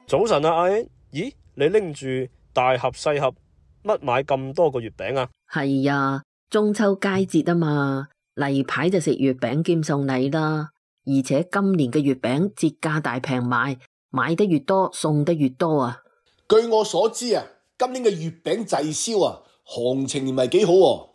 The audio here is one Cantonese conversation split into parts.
早晨啊，阿 N， 咦，你拎住大盒細盒，乜買咁多個月餅啊？係啊，中秋佳節啊嘛，例牌就食月餅兼送禮啦。而且今年嘅月餅節價大平賣，買得越多送得越多啊。據我所知啊，今年嘅月餅滯銷啊，行情唔係幾好喎。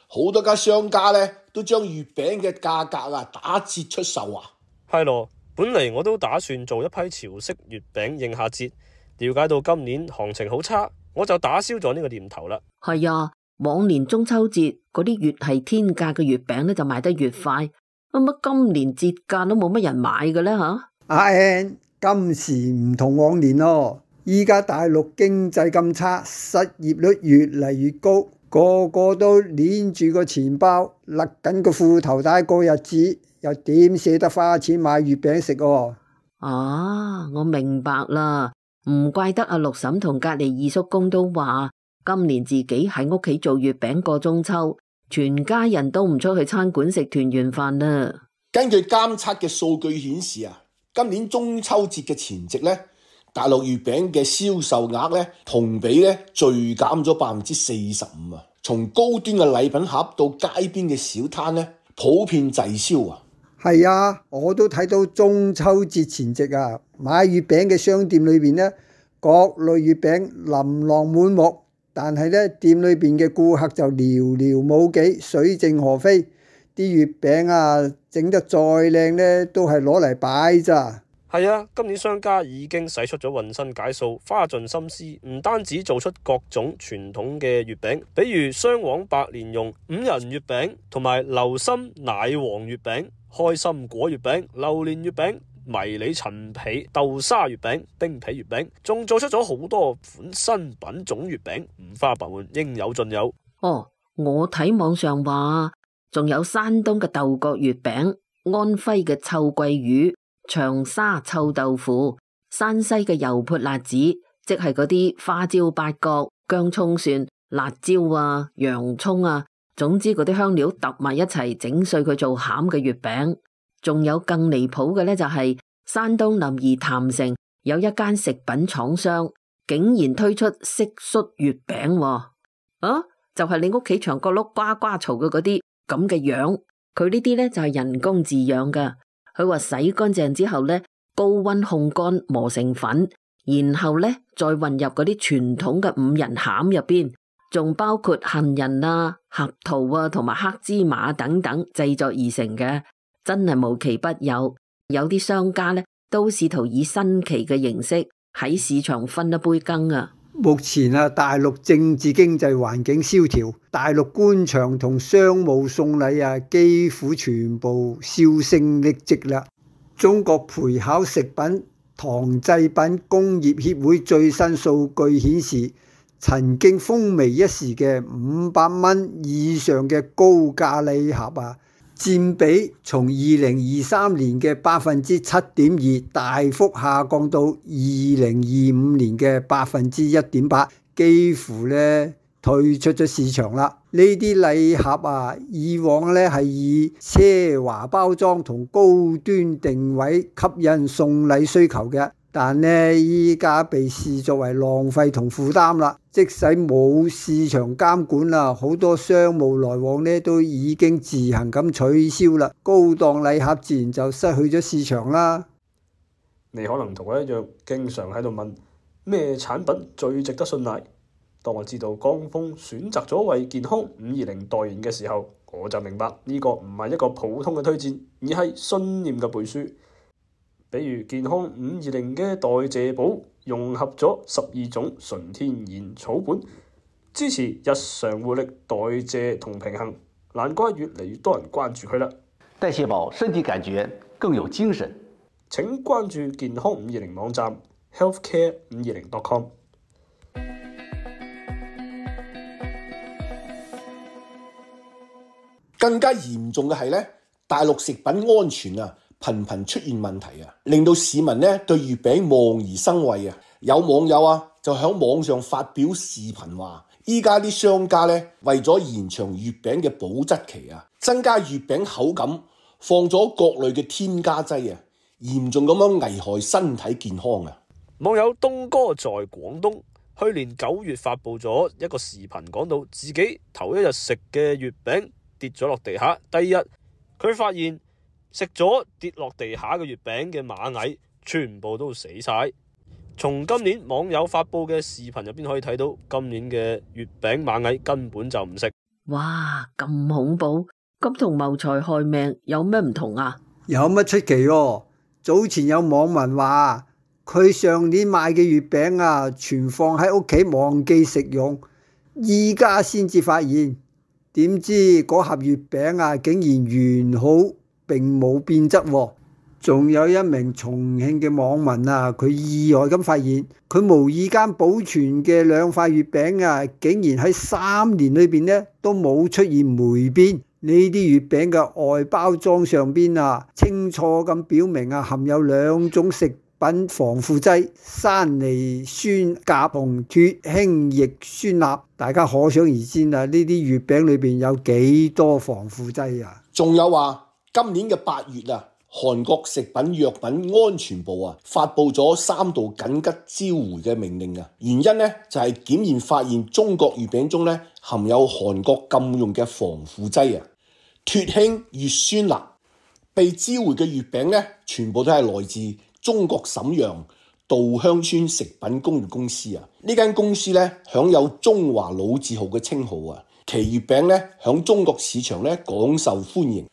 好多家商家咧都將月餅嘅價格啊打折出售啊。係咯，本嚟我都打算做一批潮式月餅應下節，了解到今年行情好差，我就打消咗呢個念頭啦。係啊，往年中秋節嗰啲越係天價嘅月餅咧就賣得越快，乜今年節價都冇乜人買嘅咧吓？阿 N， 今時唔同往年咯，依家大陸經濟咁差，失業率越嚟越高，個個都捏住個錢包，勒緊個褲頭帶過日子，又點捨得花錢買月餅食喎？啊，我明白啦，唔怪得阿六嬸同隔籬二叔公都話，今年自己喺屋企做月餅過中秋，全家人都唔出去餐館食團圓飯啦。根據監測嘅數據顯示啊，今年中秋節嘅前夕咧，大陸月餅嘅銷售額咧同比咧銳減咗45%啊！從高端嘅禮品盒到街邊嘅小攤咧，普遍滯銷啊！係啊，我都睇到中秋節前夕啊，買月餅嘅商店裏邊呢，各類月餅琳琅滿目，但係呢，店裏邊嘅顧客就寥寥無幾，水靜河飛。啲月餅啊，整得再靚呢，都係攞嚟擺咋。係啊，今年商家已經使出咗渾身解數，花盡心思，唔單止做出各種傳統嘅月餅，比如雙黃白蓮蓉、五仁月餅同埋流心奶黃月餅、開心果月餅、榴蓮月餅、迷你陳皮豆沙月餅、冰皮月餅，仲做出咗好多款新品種月餅，五花八門，應有盡有。哦，我睇網上話，仲有山東嘅豆角月餅、安徽嘅臭鳜魚、長沙臭豆腐、山西嘅油潑辣子，即係嗰啲花椒、八角、薑蔥蒜、辣椒啊、洋蔥啊，總之嗰啲香料揼埋一齊整碎佢做餡嘅月餅。仲有更離譜嘅呢，就係山東臨沂郯城有一間食品廠商，竟然推出蟋蟀月餅喎。啊，就係你屋企牆角碌呱呱嘈嘅嗰啲咁嘅樣，佢呢啲呢就係人工飼養噶。佢話洗乾淨之後呢，高溫烘乾磨成粉，然後呢再混入嗰啲傳統嘅五仁餡入邊，仲包括杏仁啊、合桃啊同埋黑芝麻等等製作而成嘅，真係無奇不有。有啲商家呢都試圖以新奇嘅形式喺市場分一杯羹啊！目前啊，大陸政治經濟環境蕭條，大陸官場同商務送禮啊，幾乎全部銷聲匿跡啦。中國培考食品糖製品工業協會最新數據顯示，曾經風靡一時嘅500蚊以上嘅高價禮盒啊，佔比從2023年嘅7.2%大幅下降到2025年嘅1.8%，幾乎咧退出咗市場啦。呢啲禮盒啊，以往咧係以奢華包裝同高端定位吸引送禮需求嘅，但呢依家被視作為浪費同負擔啦。即使冇市場監管啦，好多商務來往呢都已經自行咁取消啦，高檔禮盒自然就失去咗市場啦。你可能同我一樣，經常喺度問咩產品最值得信賴。當我知道江峰選擇咗為健康520代言嘅時候，我就明白呢個唔係一個普通嘅推薦，而係信念嘅背書。比如健康520嘅代謝寶融合咗12種純天然草本，支持日常活力、代謝同平衡，難怪越嚟越多人關注佢啦。代謝寶身體感覺更有精神。請關注健康520網站 healthcare520.com。更加嚴重嘅係咧，大陸食品安全啊，頻頻出現問題啊，令到市民咧對月餅望而生畏啊！有網友啊就喺網上發表視頻話，依家啲商家咧為咗延長月餅嘅保質期啊，增加月餅口感，放咗各類嘅添加劑啊，嚴重咁樣危害身體健康啊！網友東哥在廣東去年9月發布咗一個視頻，講到自己頭一日食嘅月餅跌咗落地下，第二日佢發現食咗跌落地下嘅月餅嘅螞蟻全部都死晒。從今年網友發布嘅視頻入邊可以睇到，今年嘅月餅螞蟻根本就唔食。哇，咁恐怖！咁同謀財害命有咩唔同啊？有乜出奇喎？早前有網民話佢上年買嘅月餅啊，存放喺屋企忘記食用，依家先至發現，點知嗰盒月餅啊竟然完好，並冇變質喎。仲有一名重慶嘅網民啊，佢意外咁發現，佢無意間保存嘅2塊月餅啊，竟然喺3年裏邊呢都冇出現霉變。呢啲月餅嘅外包裝上邊啊，清楚咁表明啊，含有2種食品防腐劑：山梨酸鉀同脫氫液酸鈉。大家可想而知啊，呢啲月餅裏邊有幾多防腐劑啊？仲有話今年嘅8月啊，韓國食品藥品安全部啊發布咗3道緊急召回嘅命令啊，原因呢就係檢驗發現中國月餅中呢含有韓國禁用嘅防腐劑啊，脫氫乙酸鈉。被召回嘅月餅呢，全部都係來自中國瀋陽稻香村食品工業公司啊。呢間公司呢享有中華老字號嘅稱號啊，其月餅呢響中國市場呢廣受歡迎，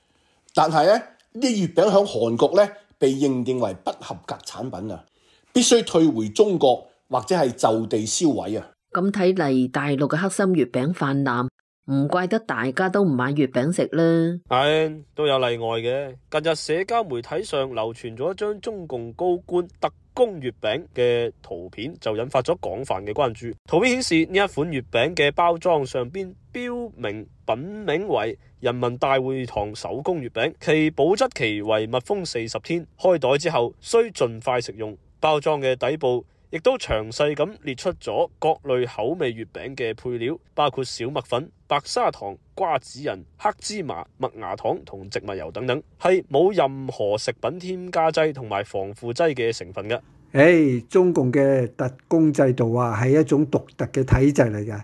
但係呢啲月餅響韓國呢被認定為不合格產品啊，必須退回中國或者係就地銷毀啊。咁睇嚟，大陸嘅黑心月餅泛濫，唔怪得大家都唔買月餅食啦。係都有例外嘅。近日社交媒體上流傳咗一張中共高官特供月餅嘅圖片，就引發咗廣泛嘅關注。圖片顯示呢一款月餅嘅包裝上邊標明品名為人民大會堂手工月餅，其保質期為密封40天，開袋之後需盡快食用。包裝嘅底部亦都詳細咁列出咗各類口味月餅嘅配料，包括小麥粉、白砂糖、瓜子仁、黑芝麻、麥芽糖同植物油等等，係冇任何食品添加劑同埋防腐劑嘅成分嘅。中共嘅特供制度啊，係一種獨特嘅體制嚟嘅。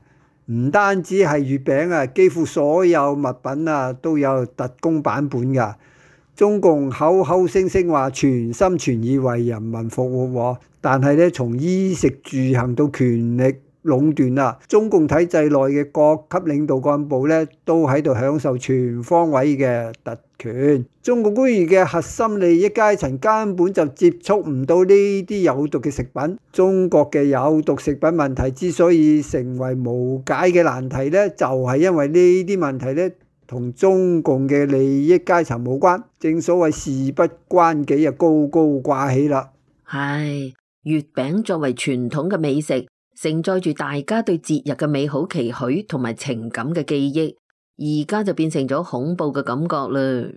唔單止係月餅啊，幾乎所有物品啊都有特供版本㗎。中共口口聲聲話全心全意為人民服務，但係咧從衣食住行到權力壟斷啊，中共體制內嘅各級領導幹部咧都喺度享受全方位嘅特權。中共官員嘅核心利益階層根本就接觸唔到呢啲有毒嘅食品。中國嘅有毒食品問題之所以成為無解嘅難題咧，就係因為呢啲問題咧同中共嘅利益階層無關。正所謂事不關己啊，高高掛起啦。係，月餅作為傳統嘅美食，承載住大家對節日嘅美好期許同埋情感嘅記憶，而家就變成咗恐怖嘅感覺啦。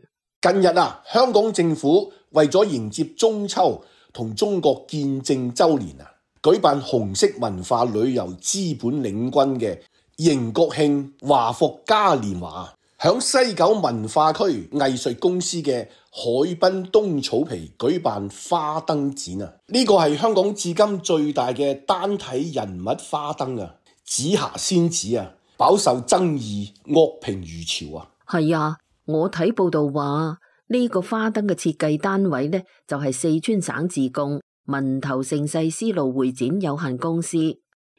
近日啊，香港政府為咗迎接中秋同中國建政週年啊，舉辦紅色文化旅遊資本領軍嘅迎國慶華服嘉年華，響西九文化區藝術公司嘅海濱東草皮舉辦花燈展啊！呢個係香港至今最大嘅單體人物花燈啊！紫霞仙子啊，飽受爭議，惡評如潮啊！係啊，我睇報道話呢個花燈嘅設計單位呢，就係四川省自貢文頭盛世絲路會展有限公司，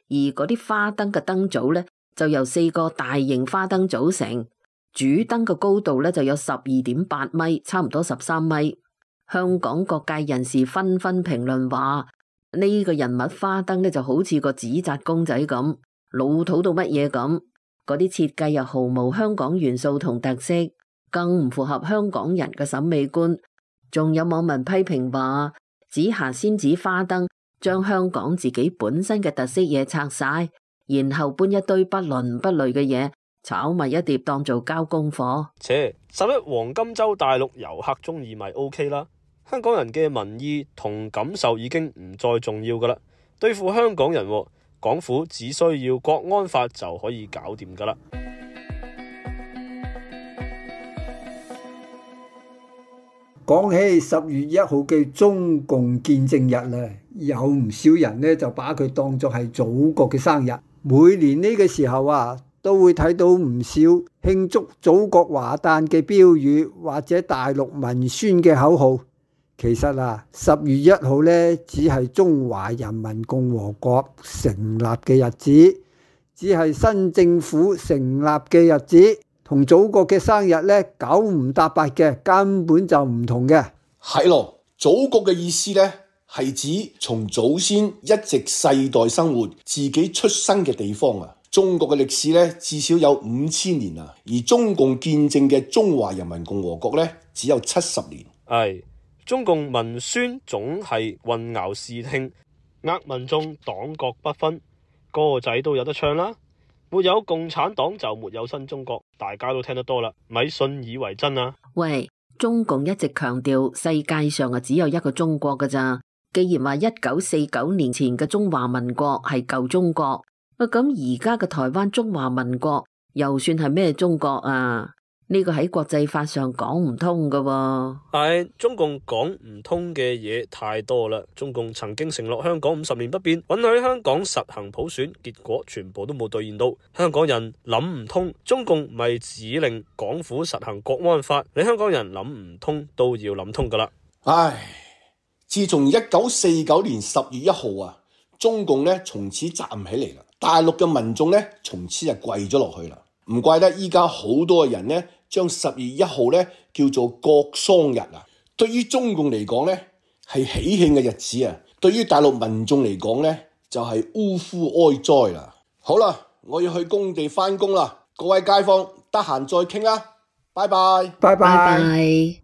而嗰啲花燈嘅燈組呢，就由4個大型花燈組成。主燈嘅高度呢就有12.8米，差唔多13米。香港各界人士紛紛評論話，呢個人物花燈呢就好似個紙紮公仔咁，老土到乜嘢咁。嗰啲設計又毫無香港元素同特色，更唔符合香港人嘅審美觀。仲有網民批評話，紫霞仙子花燈將香港自己本身嘅特色嘢拆晒，然後搬一堆不倫不類嘅嘢炒埋一碟當做交功課。11黃金週大陸遊客中意咪 OK 啦，香港人嘅民意同感受已經唔再重要噶啦。對付香港人，港府只需要國安法就可以搞掂噶啦。講起10月1號嘅中共建政日咧，有唔少人咧就把佢當作係祖國嘅生日。每年呢個時候啊，都會睇到唔少慶祝祖國華誕嘅標語或者大陸文宣嘅口號。其實啊，10月1號咧只係中華人民共和國成立嘅日子，只係新政府成立嘅日子。同祖國嘅生日咧九唔搭八嘅，根本就唔同嘅。係咯，祖國嘅意思咧係指從祖先一直世代生活、自己出生嘅地方啊。中國嘅歷史咧至少有5000年啊，而中共建政嘅中華人民共和國咧只有70年。係中共文宣總係混淆視聽，呃民眾黨國不分，歌仔都有得唱啦。沒有共產黨就沒有新中國，大家都聽得多啦，咪信以為真啊！喂，中共一直強調世界上啊只有一個中國㗎咋。既然話1949年前嘅中華民國係舊中國，咁而家嘅台灣中華民國又算係咩中國啊？呢個喺國際法上講唔通㗎喎。係中共講唔通嘅嘢太多啦。中共曾經承諾香港50年不變，允許香港實行普選，結果全部都冇兌現到。香港人諗唔通，中共咪指令港府實行國安法，你香港人諗唔通都要諗通噶啦。唉，自從1949年10月1號啊，中共咧從此站唔起嚟啦，大陸嘅民眾咧從此就跪咗落去啦。唔怪得依家好多人咧將10月1號咧叫做國喪日啊。對於中共嚟講咧係喜慶嘅日子啊，對於大陸民眾嚟講咧就係嗚呼哀哉啦。好啦，我要去工地返工啦，各位街坊得閒再傾啦，拜拜。拜拜。拜拜。